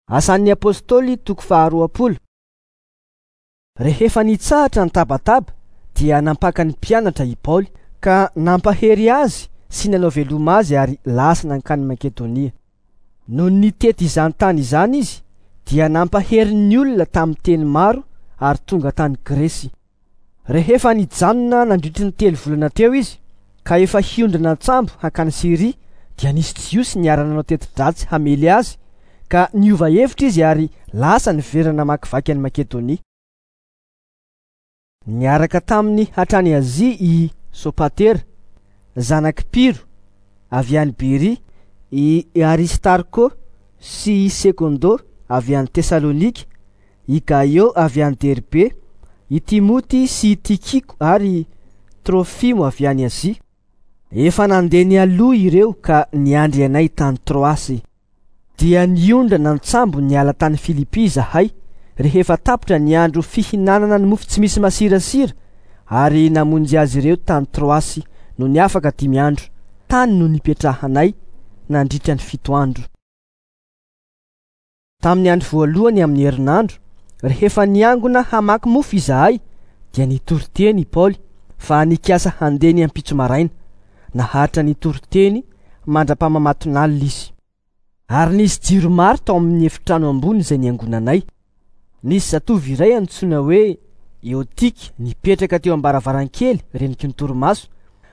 Asan'ny Apostoly toko faharoapolo. Rehefa nitsahatra ny tabataba dia nampaka ny mpianatra i Paoly ka nampahery azy sy nanao veloma azy ary lasa nankany Makedonia. Nony nitety izany tany izany izy dia nampahery ny olona tamin'ny teny maro ary tonga tany Gresy. Rehefa nijanona nandritry ny telo volana teo izy ka efa hiondrana an-tsambo hankany Syria dia nisy Jiosy niara-nanao teti-dratsy hamely azy ka niova hevitra izy ary lasa niverina namakivaky an'i Makedonia. Niaraka taminy hatrany Azia i Sopatera, zanak'i Piro, avy any Beria, i Aristarko sy i Sekondo avy any Tesalonika, i Gaio avy any Derbe, i Timoty sy i Tikiko ary Trofimo avy any Azia. Efa nandeha nialoha ireo ka niandry anay tany Troasy. Dia niondrana an-tsambo niala tany Filipy izahay rehefa tapitra ny andro fihinanana ny mofo tsy misy masirasira ary namonjy azy ireo tany Troasy nony afaka dimy andro. Tany no nipetrahanay nandritra ny fito andro. Tamin'ny andro voalohany amin'ny herinandro, rehefa niangona hamaky mofo izahay, dia nitory teny i Paoly fa nikasa handeha ny ampitso maraina. Naharitra nitory teny mandra-pamamatonalina izy. Ary nisy jiro maro tao amin'ny efitrano ambony izay niangonanay. Nisy zatovo iray antsoina hoe Eotika nipetraka teo am-baravarankely reniky ny torimaso,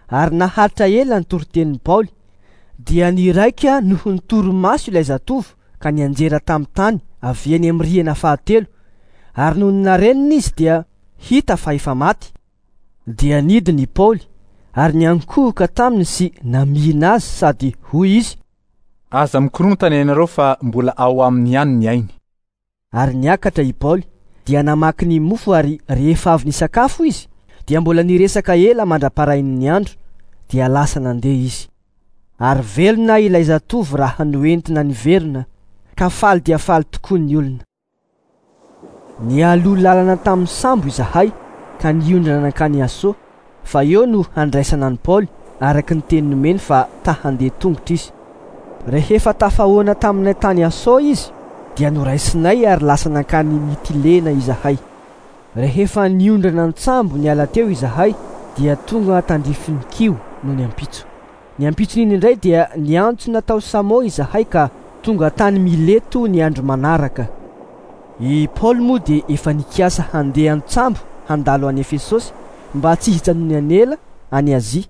ary naharitra ela ny toritenin'i Paoly. Dia niraika noho ny torimaso ilay zatovo ka nianjera tamin'ny tany avy eny amin'ny rihana fahatelo, ary nony narenina izy dia hita fa efa maty. Dia nidina i Paoly ary niankohoka taminy sy namihina azy sady hoy izy, Aza mikorontana ianareo fa mbola ao aminy ihany ny ainy. Ary niakatra i Paoly, dia namaky ny mofo ary rehefa avy nisakafo izy, dia mbola niresaka ela mandra-parain'ny andro, dia lasa nandeha izy. Ary velona ilay zatovo raha noentina niverina, ka faly dia faly tokoa ny olona. Nialoha lalana tamin'ny sambo izahay ka niondrana nankany Aso, fa eo no handraisana an'i Paoly, araka ny teny nomeny fa ta handeha tongotra izy. Rehefa tafahoana taminay tany Aso izy, dia noraisinay ary lasa nankany Mitilena izahay. Rehefa niondrana an-tsambo niala teo izahay, dia tonga tandrifin'i Kio nony ampitso. Ny ampitson'iny indray dia niantsona tao Samo izahay ka tonga tany Mileto ny andro manaraka. I Paoly moa dia efa nikasa handeha an-tsambo handalo any Efesosy mba tsy hijanony ela any Azia,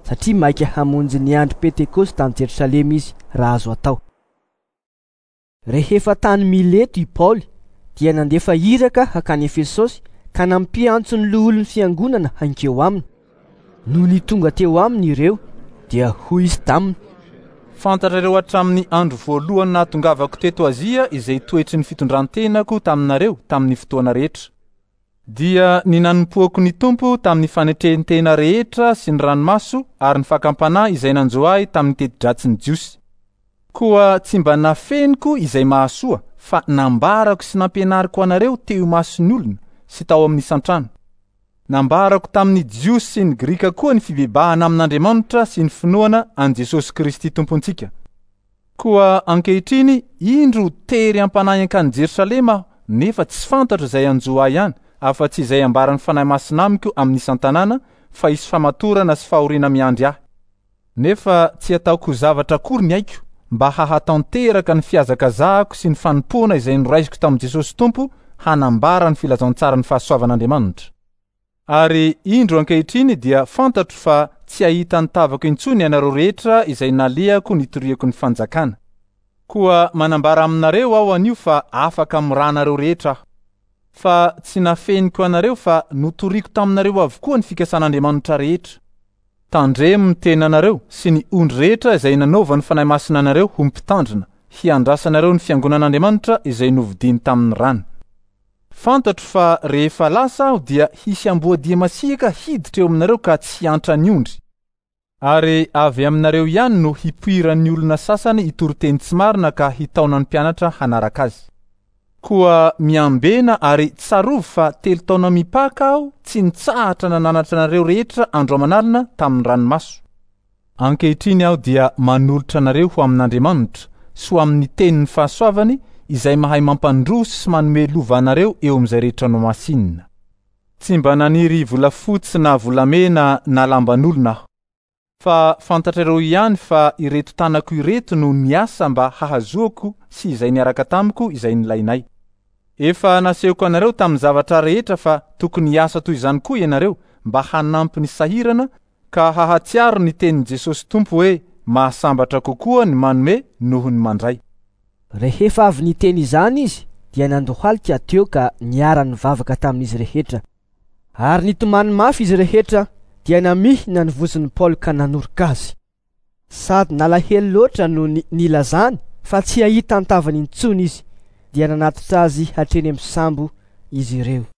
satria maika hamonjy ny andro Pentekosta any Jerosalema izy raha azo atao. Rehefa tany Mileto i Paoly dia nandefa iraka hakany Efesosy ka nampiantso ny loholon'ny fiangonana hankeo aminy. Nony tonga teo aminy ireo dia hoy izy taminy, Fantatrareo hatramin'ny andro voalohany nahatongavako teto Azia izay toetry ny fitondran-tenako taminareo tamin'ny fotoana rehetra. Dia ny nanompoako ny Tompo tamin'ny fanetren-tena rehetra sy ny ranomaso ary ny fakam-panahy izay nanjo ahy tamin'ny teti-dratsin'ny Jiosy. Koa tsy mba nafeniko izay mahasoa, fa nambarako sy nampianariko anareo teo imason'ny olona sy tao amin'ny isan-trano. Nambarako tamin'ny Jiosy sy ny Grika koa ny fibebahana amin'Andriamanitra sy ny finoana an'i Jesosy Kristy Tompontsika. Koa ankehitriny, indro tery am-panahy hankany Jerosalema aho, nefa tsy fantatro izay hanjo ahy any, afa-tsy izay ambaran'ny Fanahy Masina amiko amin'ny isan-tanàna, fa hisy famatorana sy fahoriana miandry ahy. Nefa tsy ataoko ho zavatra akory ny aiko, mba hahatanteraka ny fihazakazahako sy ny fanompoana izay noraisiko tamin'i Jesosy Tompo hanambara ny filazantsaran'ny fahasoavan'Andriamanitra. Ary indro ankehitriny dia fantatro fa tsy hahita ny tavako intsony ianareo rehetra izay nalehako nitoriako ny fanjakana. Koa manambara aminareo aho anio fa afaka amin'ny ranareo rehetra aho. Fa tsy nafeniko anareo fa notoriko taminareo avokoa ny fikasan'Andriamanitra rehetra. Tandremo ny tenanareo sy ny ondry rehetra izay nanaovan'ny Fanahy Masina anareo ho mpitandrina, hiandrasanareo ny fiangonan'Andriamanitra izay novidiny tamin'ny rany. Fantatro fa rehefa lasa aho dia hisy amboadia masiaka hiditra eo aminareo ka tsy hiantra ny ondry. Ary avy aminareo ihany no hipoiran'ny olona sasany hitory teny tsy marina ka hitaona ny mpianatra hanaraka azy. Koa miambena ary tsarovy fa telo taona mipaka aho tsy nitsahatra nananatra anareo rehetra andro aman'alina tamin'ny ranomaso. Ankehitriny aho dia manolotra anareo ho amin'Andriamanitra sy ho amin'ny tenin'ny fahasoavany izay mahay mampandroso sy manome lova anareo eo amin'izay rehetra nomasinina. Tsy mba naniry volafotsy na volamena na lamban'olona aho. Fa fantatrareo ihany fa ireto tanako ireto no niasa mba hahazoako sy izay niaraka tamiko izay nilainay. Efa nasehoko anareo tamin'ny zavatra rehetra fa tokony hiasa toy izany koa ianareo mba hanampy ny sahirana ka hahatsiaro ny tenin'i Jesosy Tompo hoe mahasambatra kokoa ny manome noho ny mandray. Rehefa avy niteny izany izy dia nandohalika teo ka niara-nivavaka tamin'izy rehetra. Ary nitomany mafy izy rehetra dia namihina ny vozon'i Paoly ka nanoroka azy. Sady nalahelo loatra no nilazany fa tsy hahita an-tavany intsony izy, dia nanatitra azy hatreny amin'ny sambo izy ireo.